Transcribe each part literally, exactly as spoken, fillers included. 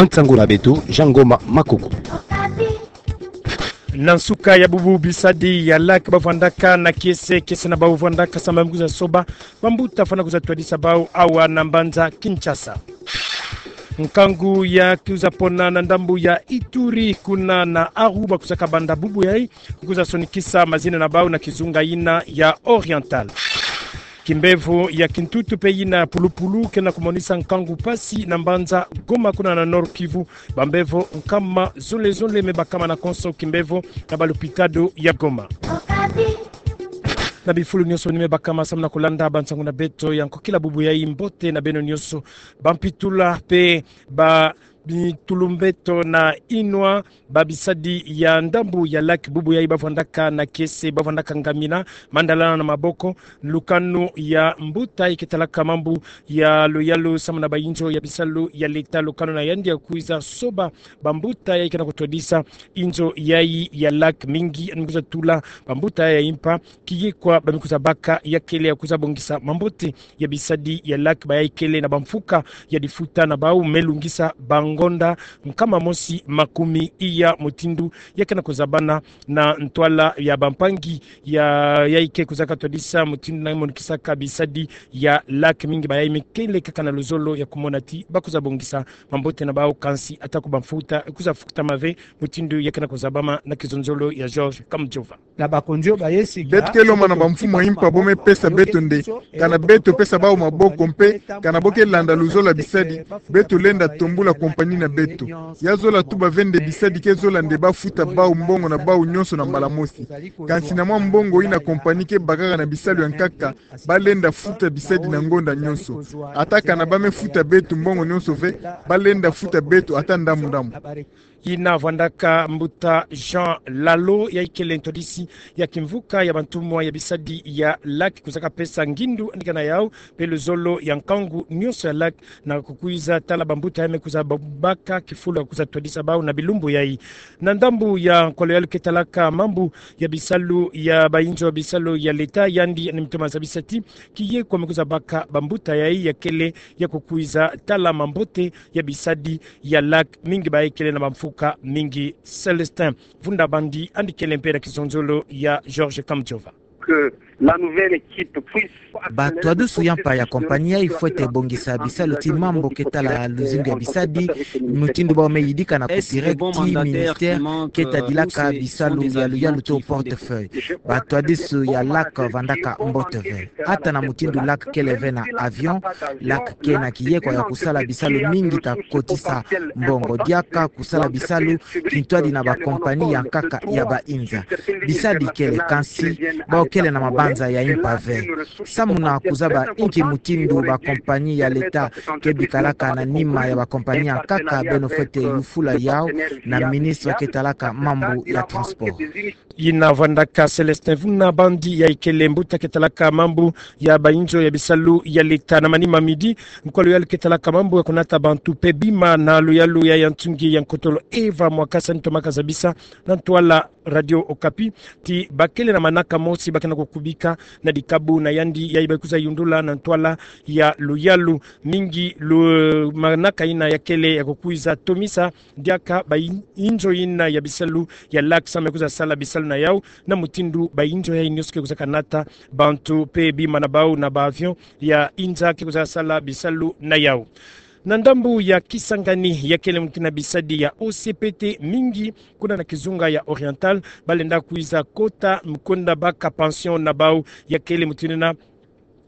Nsangu na beto, Jean Ngoma Makoko. Na nsuka ya bubu, bisadi ya LAC bavwandaka na kiese, kiese na bavwandaka samu ya me kwiza soba bambuta fwana kwiza twadisa bau awa na mbanza Kinshasa. Nkangu ya kwiza pona na ndambu ya Ituri, kuna na Aru, ba kwizaka banda bubu yayi, kwiza sonikisa mazina na bau na kizunga yina ya Oriental. Kimbevo ya kintutu pe yina pulupulu ke na kumonisa nkangu mpasi na mbanza Goma, kuna na Nord-Kivu. Bambevo nkama zole zole me bakama na konso kimbevo na balopitalo ya Goma. Na bifulu nyonso ni me bakama samu na kulanda bansangu na beto ya nkokila bubu yayi, mbote na beno nyonso. Bampitula pe ba bitulumbeto na inwa, babisadi ya ndambu ya LAC bubu yayi bavwandaka na kiese, bavwandaka ngamina, mandalana na maboko. Lukanu ya mbuta yayi ke talaka mambu ya luyalu samu na bayinzo ya bisalu ya leta, lukanu na yandi ya kwiza soba bambuta yayi ke na kutwadisa inzo yayi ya LAC, mingi ya kwiza tula bambuta yayi ya impa, kiye kwa ba me kwiza baka ya kele ya kwiza bongisa mambote ya bisadi ya LAC, bayayi kele na bamfuka ya difuta na bau me lungisa bangonda nkama mosi makumi iya, mutindu ya ke na kuzabana na ntwala ya bampangi ya, yayi ke kwizaka twadisa mutindu na monikisaka bisadi ya LAC, mingi bayayi me kele kaka na luzolo ya kumona ti ba kwiza bongisa mambote na bau, kansi ata ko bamfuta kwiza fukutama ve, mutindu ya ke na kuzabama na kizonzolo ya Georges Kamujova. Beto ke lomana bamfumu ya impa bo me pesa beto nde, kana beto pesa bau maboko mpe kana bo ke landa luzolo ya bisadi, beto lenda tombula compagnie na beto. Ya zola tuba ve nde bisadi ke zola nde ba futa bau mbongo na bau nyonso na mbala mosi. Kansi na mwa mbongo yina compagnie ke bakaka na bisalu ya nkaka, ba lenda futa bisadi na ngonda nyonso. Ata kana ba me futa beto mbongo nyonso ve, ba lenda futa beto ata ndambu ndambu. Yina vwandaka mbuta Jean Lalo, yayi kele ntwadisi ya kimvuka ya bantumwa ya bisadi ya LAC, kwizaka pesa ngindu yandika na yau pe luzolo ya nkangu nyonso ya LAC na kukwiza tala bambuta ya me kwiza ba-, baka kifulu ya kwiza twadisa bau na bilumbu yayi. Na ndambu ya nkolo yalu ke talaka mambu ya bisalu ya bayinzo ya bisalu ya leta, yandi ni mutoma zabisa ti kiye kwa me kwiza baka bambuta yayi ya kele ya kukwiza tala mambote ya bisadi ya LAC, mingi bayayi kele na bamfuka mingi. Célestin Vunda Bandi yandi kele mpe na kizonzolo ya Georges Kamujova. Que la nouvelle équipe puisse Batwadusu ya mpa ya compagnie yayi fwete bongisa bisalu ti mambu ke tala luzingu ya bisadi, mutindu bau me yidika na copyright ti ministère ke tadilaka bisalu ya luyalu to portefeuille. Batwadusu ya LAC vandaka mbote ve. Ata na mutindu LAC kele ve na avion, LAC ke na kiyekwa ya kusala bisalu mingi ta kotisa mbongo. Diaka kusala bisalu kintwadi na ba compagnie ya nkaka ya ba inza. Bisadi kele, kansi bau kele na mabanza ya impa ve. Samu na kuzaba inki mutindu ba compagnie ya leta ke bikalaka na nima ya ba compagnie ya nkaka, beno fwete yufula yau na ministre ke talaka mambu ya transport. Yina vwandaka Célestin Vunda Bandi, yayi kele mbuta ke talaka mambu ya bayinzo ya bisalu ya leta. Na manima midi, nkolo yalu ke talaka mambu ya kunata bantu pe bima na luyalu ya ya ntungi ya nkotolo Eva Mwakasa, ni tomaka zabisa na ntwala Radio Okapi ti ba kele na manaka mosi ba ke na kukubika na dikabu na yandi yayi ba kwiza yundula na ntwala ya luyalu. Mingi lu-, manaka yina ya kele ya kukwiza tomisa diaka bayinzo yina ya bisalu ya LAC samu ya kwiza sala bisalu na yau, na mutindu bayinzo yayi nyonso ke kwizaka nata bantu pe bima na bau na ba avion ya inza ke kwiza sala bisalu na yau. Na ndambu ya Kisangani, ya kele mutindu na bisadi ya O C P T mingi kuna na kizunga ya Oriental, ba lenda kwiza kota mu kwenda baka pension na bau. Ya kele mutindu na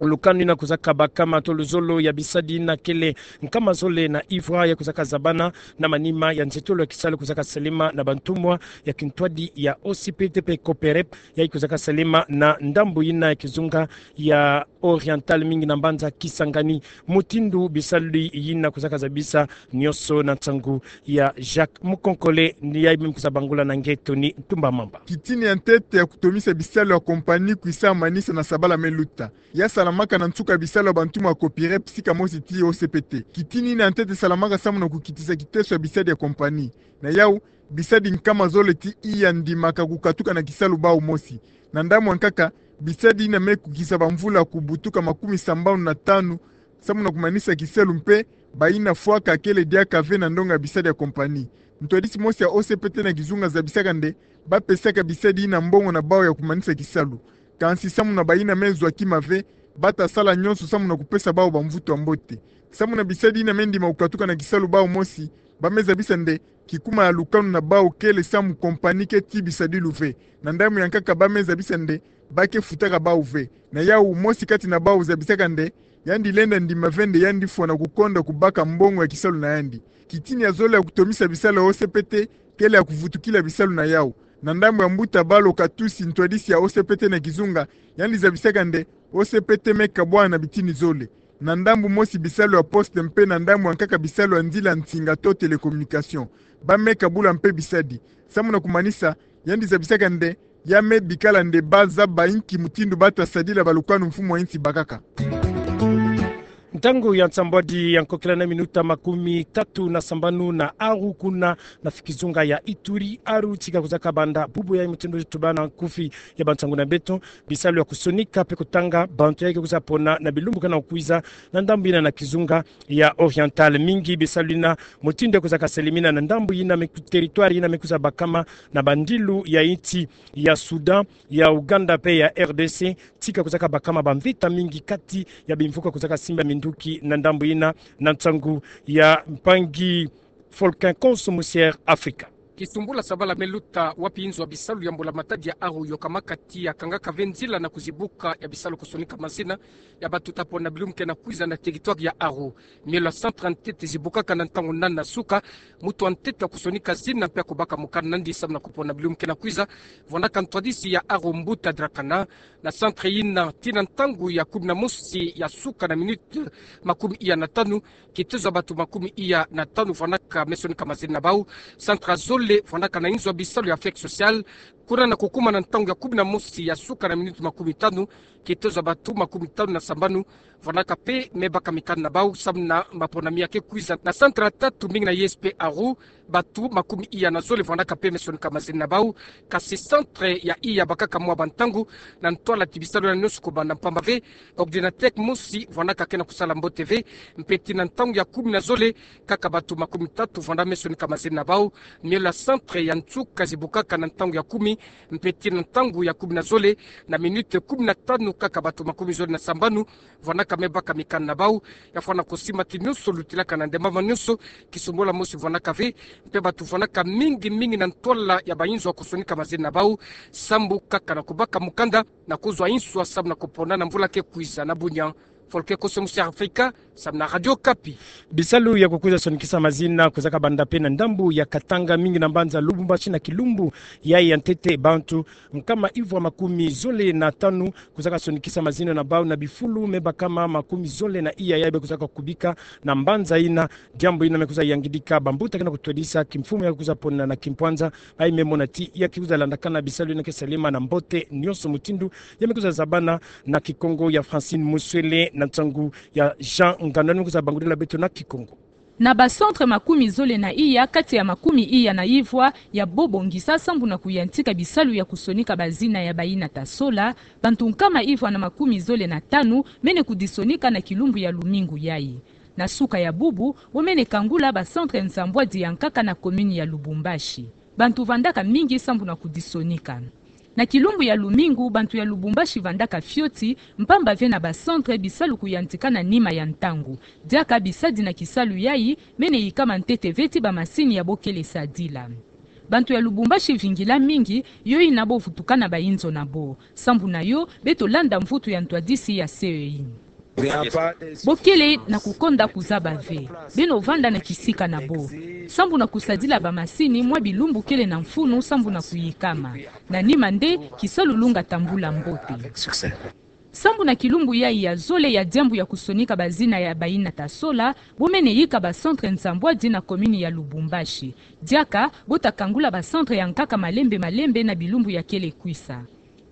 lukanu yina kwizaka bakama to luzolo ya bisadi yina kele nkama zole na ivra ya kwizaka zabana na manima ya nzietolo ya kisalu kwizaka salema na bantumwa ya kintwadi ya O C P T pe COPEREP, yayi kwizaka salema na ndambu yina ya kizunga ya Oriental, mingi na mbanza Kisangani. Mutindu bisalu yina kwizaka zabisa nyonso na nsangu ya Jacques Mukonkole, ni yayi me kwiza bangula na nge Tony Ntumba Mamba. Kitini ya ntete ya kutomisa bisalu ya compagnie kwisa manisa na sabala me luta. Ya salamaka na nsuka bisalu ya bantumwa ya COPEREP sika mosi ti O C P T. Kitini yina ya ntete salamaka samu na kukitisa kiteso ya bisadi ya compagnie. Na yau, bisadi nkama zole ti iya ndimaka kukatuka na kisalu bau mosi. Na ndambu ya nkaka, bisadi yina me kukisa bamvula kubutuka makumi sambanu na tanu samu na kumanisa kisalu mpe Bayina fwaka kele diaka ve na ndonga bisadi ya compagnie. Ntwadisi mosi ya O C P T na kizunga zabisaka nde bapesaka bisadi yina mbongo na bawu ya kumanisa kisalu. Kansi samu na bayina me zwa kima ve, bata sala nyonso samu na kupesa bawu bamvutu ya mbote. Samu na bisadi yina me ndima kukatuka na kisalu, bawu mosi ba me zabisa nde kikuma ya lukanu na bawu kele samu compagnie ke tii bisadilu ve. Na ndambu ya nkaka ba me zabisa nde ba ke futaka bawu ve. Na yawu, mosi kati na bawu zabisaka nde yandi lenda ndima ve nde yandi fwana kukonda kubaka mbongo ya kisalu na yandi. Kitini ya zole ya kutomisa bisalu ya O C P T kele ya kuvutukila bisalu na yawu. Na ndambu ya mbuta Balo Katusi, ntwadisi ya O C P T na kizunga, yandi zabisaka nde O C P T me kabwana na bitini zole. Na ndambu mosi bisalu ya poste mpe na ndambu ya nkaka bisalu ya nzila nsinga to télécommunication. Ba me kabula mpe bisadi. Samu na kumanisa, yandi zabisaka nde ya me bikala nde ba zaba inki mutindu bata sadila balukanu mfumu wa insi bakaka. Ntangu ya nsambwadi ya nkokila na minuta makumi tatu na sambanu na aru kuna na kizunga ya Ituri, aru tika kuzaka banda bubu ya mutindu tubana nkufi ya bansangu na beto. Bisalu ya kusonika mpe kutanga bantu ya ke kuza pona na bilumbu ke na kukwiza na ndambu yina na kizunga ya Oriental. Mingi bisalu yina mutindu ya kuzaka selimina na ndambu yina me ku-, territoire yina me kuza bakama na bandilu ya insi ya Soudan, ya Ouganda mpe ya R D C, tika kuzaka bakama bamvita mingi kati ya bimvuka kuzaka simba minduki na ndambu yina, na nsangu ya mpangi Volcan Konso Musière Afrika. Kisumbula sabala me luta wapi inzo ya bisalu ya mbula matadi ya aru yokamaka ti ya kangaka ve nzila na kuzibuka ya bisalu kusonika mazina ya bantu ta pona na bilumbu ke na kwiza na territoire ya aru. Mielo ya centre ya ntete zibukaka na ntangu nani na suka, mutu wa ntete ya kusonika zina mpe ya kubaka mukanda nandi samu na kupona na bilumbu ke na kwiza, vwandaka ntwadisi ya aru mbuta Drakana. Na centre yina, ti na ntangu ya kumi na mosi ya suka na minute makumi iya na tanu, kitezo ya bantu makumi iya na tanu vwandaka me sonika mazina na bawu. Centre ya zole vwandaka na inzo ya bisalu ya Affect Social. Kuna na kukuma na ntangu ya kumi na mosi ya suka na minute makumi tanu, kitezo ya bantu makumi tanu na sambanu vwandaka mpe me baka mikanda na bawu samu na maponami ya ke kwiza. Na centre ya tatu, mbingi na I S P aru, bantu makumi iya na zole vwandaka mpe me sonika mazina na bawu. Kasi centre ya iya bakaka mwa bantangu na ntwala ti bisalu yina nyonso kubanda mpamba ve. Ordinateur mosi vwandaka ke na kusala mbote ve. Mpe ti na ntangu ya kumi na zole, kaka bantu makumi tatu vwanda me sonika mazina na bawu. Mielo ya centre ya nsuka zibukaka na ntangu ya kumi, mpe ti na ntangu ya kumi na zole, na minute kumi na tanu, kaka bantu makumi zole na sambanu vwandaka me baka mikanda na bawu. Ya fwana kusimba ti nyonso lutilaka na ndemama nyonso, kisumbula mosi vwandaka ve, mpe bantu vwandaka mingi mingi na ntwala ya bainzo ya kusonika mazina na bawu, sambu kaka na kubaka mukanda na kuzwa inswa samu na kupona na mvula ke kwiza. Na bunya, Volcan Konso Musière Afrika, samu na Radio Okapi. Bisalu ya kukwiza sonikisa mazina kuzaka banda mpe na ndambu ya Katanga, mingi na mbanza Lubumbashi na kilumbu yayi ya ntete. Bantu nkama ivwa makumi zole na tanu kuzaka sonikisa mazina na bawu, na bifulu me bakama makumi zole na iya yayi be kuzaka kubika na mbanza yina. Diambu yina me kuza yangidika bambuta ke na kutwadisa kimfumu ya kuza pona na kimpwanza, bayi me mona ti ya ke kuza landakana bisalu yina ke salema na mbote nyonso mutindu ya me kuza zabana na Kikongo ya Francine Muswele na nsangu ya Jean Nganda ni me kuza bangudila beto na Kikongo. Na ba centre makumi zole na iya kati ya makumi iya na ivwa ya bo bongisa sambu na kuyantika bisalu ya kusonika bazina ya bayina ta sola, bantu nkama ivwa na makumi zole na tanu mene kudisonika na kilumbu ya lumingu yayi. Na suka ya bubu, bo mene kangula ba centre nsambwadi ya nkaka na commune ya Lubumbashi. Bantu vandaka mingi sambu na kudisonika. Na kilumbu ya lumingu, bantu ya Lubumbashi vandaka fioti, mpamba ve na ba centre bisalu kuyantika na nima ya ntangu. Diaka bisadi na kisalu yayi mene yikama ntete ve ti ba masini ya bo kele sadila. Bantu ya Lubumbashi vingila mingi, yo yina bo vutukana bainzo na bo. Sambu na yo, beto landa mvutu ya ntwadisi ya C E I. Bo kele na kukonda kuzaba ve. Beno vanda na kisika na bo. Sambu na kusadila ba masini, mwa bilumbu kele na mfunu sambu na kuyikama. Na nima nde, kisalu lunga tambula mbote. Sambu na kilumbu yayi ya zole ya diambu ya kusonika bazina ya bayina ta sola, bo mene yika ba centre nsambwadi na commune ya Lubumbashi. Diaka, bo ta kangula ba centre ya nkaka malembe malembe na bilumbu ya kele kwisa.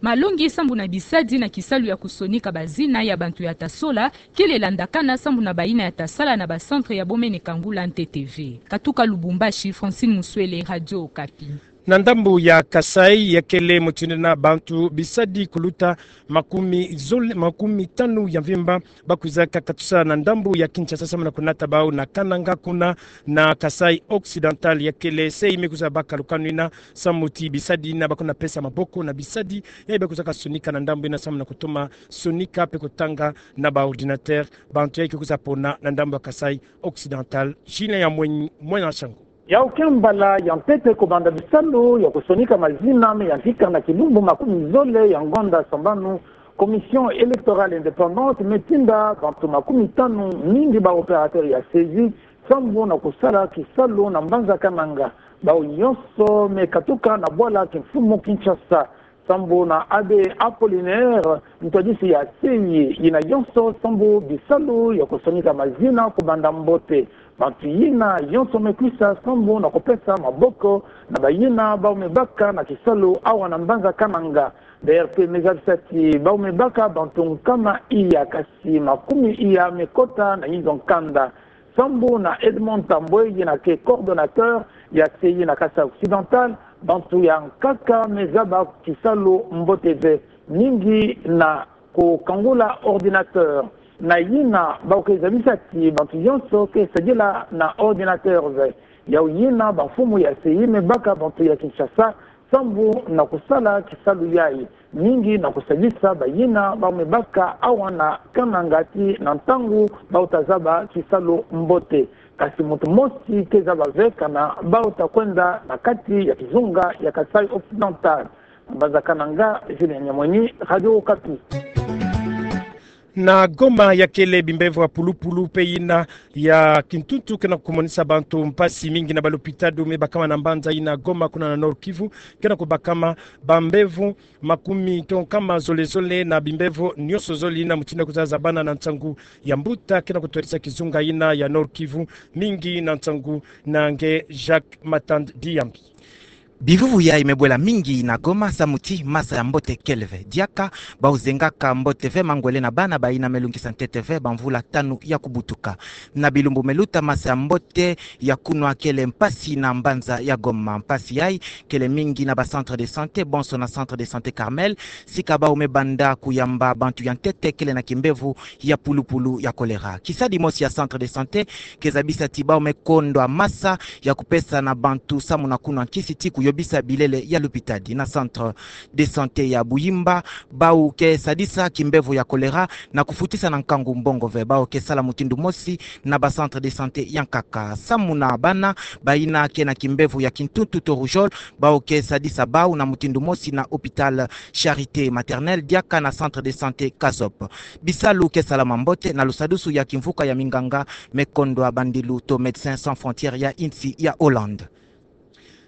Malongi sambu na bisadi na kisalu ya kusonika bazina ya bantu ya ta sola kele landakana sambu na bayina ya ta sala na ba centre ya bo mene kangula ntete ve. Katuka Lubumbashi, Francine Muswele, Radio Okapi. Na ndambu ya Kasaï, ya kele mutindu ina, bantu bisadi kuluta makumi zole, makumi tanu ya mvimba ba kwizaka katusa na ndambu ya Kinshasa samu na kunata bau na Kananga kuna na Kasaï Occidental. Ya kele se ime kwiza baka lukanu ina samu ti bisadi ina ba kuna pesa maboko na bisadi yayi ba kwizaka sonika na ndambu ina samu na kutoma sonika mpe kutanga na ba ordinateur. Bantu yayi ke kwiza pona na ndambu ya Kasaï Occidental. Julien Yamweni, Mwena Shangu. Yau ke mbala ya ntete kubanda bisalu ya kusonika mazina me ya nkika na kilumbu makumi zole ya ngonda sambanu, Commission électorale indépendante me tinda bantu makumi tanu, mingi ba opérateur ya CESI, sambu na kusala kisalu na mbanza Kananga. Bau yonso me katuka na bwala kimfumu Kinshasa. Sambu na Abbé Apollinaire, ntwadisi ya se yayi, yina yonso sambu bisalu ya kusonika mazina kubanda mbote. Bantu yina yonso me kwisa sambu na kupesa maboko na bayina bau me baka na kisalu awa na mbanza Kananga. BRP me zabisa ti bau me baka bantu nkama iya, kasi makumi iya me kota na inzo nkanda. Sambu na Edmond Tambwe, yina ke coordonnateur ya CESI na Kasaï Occidental, bantu ya nkaka me zaba kisalu mbote ve, mingi na kukangula ordinateur. Na yina bau ke zabisa ti bantu yonso ke sadila na ordinateur ve. Yau yina bamfumu ya CESI me baka bantu ya Kinshasa sambu na kusala kisalu yayi, mingi na kusadisa bayina bau me baka awa na Kananga ti na ntangu bau ta zaba kisalu mbote. Kasi muntu mosi ke zaba ve kana bau ta kwenda na kati ya kizunga ya Kasaï Occidental. Mbanza Kananga, Julien Nyamweni, Radio Okapi. Na Goma, ya kele bimbevo ya pulupulu mpe yina ya kintuntu ke na kumonisa bantu mpasi mingi na balopitalo me bakama na mbanza yina Goma kuna na Nord-Kivu, ke na kubakama bambevo makumi to nkama zole zole na bimbevo nionso zole yina mutindu ya kwiza zabana na nsangu ya mbuta ke na kutwadisa kizunga yina ya Nord-Kivu, mingi na nsangu na nge Jacques Matand Diambi. Bivuvu yayi me bwela mingi na Goma samu ti masa ya mbote kele ve. Diaka bau zengaka mbote ve mangwele na bana bayina me lungisa ntete ve bamvula tanu ya kubutuka. Na bilumbu me luta, masa ya mbote ya kunwa kele mpasi na mbanza ya Goma. Mpasi yayi kele mingi na ba centre de santé, bonso na centre de santé Carmel, sika bau me banda kuyamba bantu ya ntete kele na kimbevo ya pulupulu ya choléra. Kisadi mosi ya centre de santé ke zabisa ti bau me kondwa masa ya kupesa na bantu samu na kunwa nkisi ti kuyobisa bilele ya lupitadi. Na centre de santé ya Buyimba, bau ke sadisa kimbevo ya choléra na kufutisa na nkangu mbongo ve. Bau ke sala mutindu mosi na ba centre de santé ya nkaka. Samu na bana bayina ke na kimbevo ya kintuntu to rougeole, bau ke sadisa bau na mutindu mosi na hôpital Charité Maternelle diaka na centre de santé Kazop. Bisalu ke salama mbote na lusadusu ya kimvuka ya minganga me kondwa bandilu to Médecins Sans Frontières ya insi ya Hollande.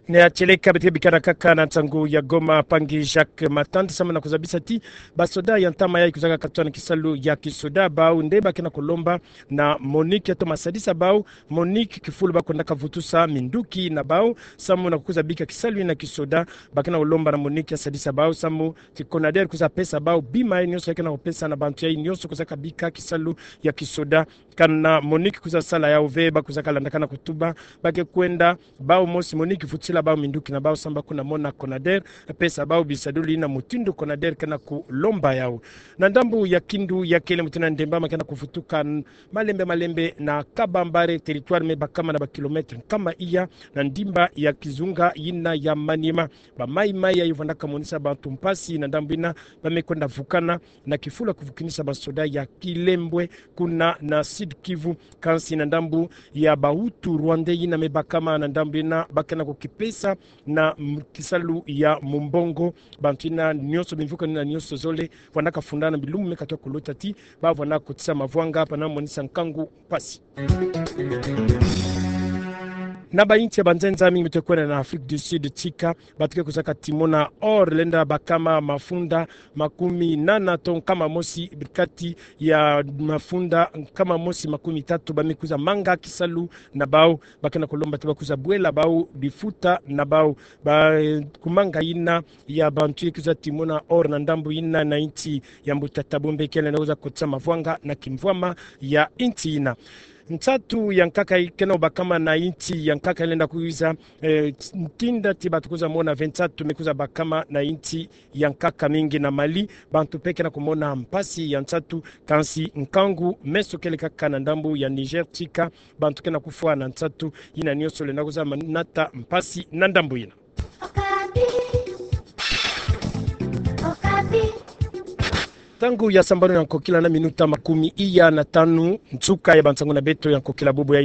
Ne atieleka beto ke bikana kaka na nsangu ya Goma, mpangi Jacques Matand, samu na kuzabisa ti basoda ya ntama yayi kwizaka katuka na kisalu ya kisoda, bau nde ba ke na kulomba na MONUC ya toma sadisa bau. MONUC kifulu ba kwendaka vutusa minduki na bau samu na kukwiza bika kisalu yina kisoda. Ba ke na kulomba na MONUC ya sadisa bau samu ti CONADER kwiza pesa bau bima yayi nionso ya ke na kupesa na bantu yayi nionso kwizaka bika kisalu ya kisoda. Kana MONUC kwiza sala yau ve, ba kwizaka landakana kutuba, ba ke kwenda bau mosi MONUC vutisila bau minduki na bau samu ba kuna mona CONADER pesa bau bisadulu yina mutindu CONADER ke na kulomba yau. Na ndambu ya Kindu, ya kele mutindu na ndemba ma ke na kuvutuka malembe malembe na Kabambare, territoire me bakama na ba kilomètre nkama iya na ndimba ya kizunga yina ya Maniema. Ba maï-maï yayi vwandaka monisa bantu mpasi na ndambu yina ba me kwenda vukana na kifulu ya kuvukinisa basoda ya Kilembwe kuna na Sud-Kivu. Kansi na ndambu ya ba Hutu rwandais yina me bakama na ndambu yina, ba ke na kukipesa na m-, kisalu ya mumbongo. Bantu yina nionso, bimvukano yina nionso zole vwandaka fundana bilumbu me katuka kuluta ti ba vwandaka kotisa mavwanga, ba na monisa nkangu mpasi. Na ba insi ya banzenza mingi beto ke kwenda na Afrique du Sud, tika bato ke kwizaka timona or, lenda bakama mafunda makumi nana to nkama mosi, kati ya mafunda nkama mosi makumi tatu ba me kwiza manga kisalu na bau. Ba ke na kulomba ti ba kwiza bwela bau lifuta na bau. Ba, eh, kumanga yina ya bantu ya kwiza timona or na ndambu yina na insi ya mbuta Thabo Mbeki, lenda kwiza kotisa mavwanga na kimvwama ya insi yina. Nsatu ya nkaka ikena bakama na insi ya nkaka ilenda kwiza, eh, ntinda ti bato kwiza mona ve nsatu me kwiza bakama na insi ya nkaka mingi na Mali. Bantu mpe kena kumona mpasi ya nsatu, kansi nkangu me sokele kaka na ndambu ya Niger tika bantu kena kufwa na nsatu. Yina nionso lenda kwiza manata mpasi na ndambu yina. Okapi. Okapi. Ntangu ya sambanu ya nkokila na minuta makumi iya na tanu, nsuka ya bansangu na beto ya nkokila bubu ya